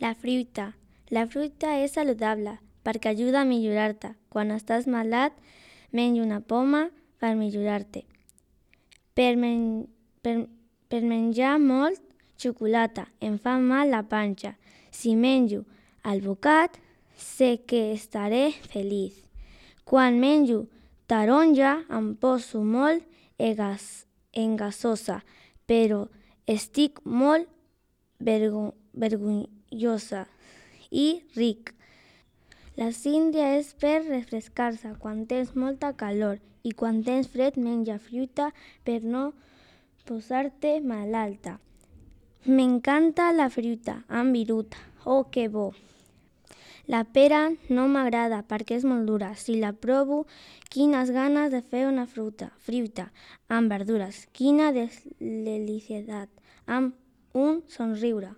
La fruita. La fruita és saludable perquè ajuda a millorar-te. Quan estàs malalt, menja una poma per millorar-te. Per menjar molt xocolata em fa mal la panxa. Si menjo alvocat, sé que estaré feliç. Quan menjo taronja em poso molt engasosa, però estic molt vergonyosa i ric. La síndria és per refrescar-se quan tens molta calor i quan tens fred menja fruita per no posar-te malalta. M'encanta la fruita amb viruta. Oh, que bo! La pera no m'agrada perquè és molt dura. Si la provo, quines ganes de fer una fruita amb verdures. Quina deliciositat, amb un somriure.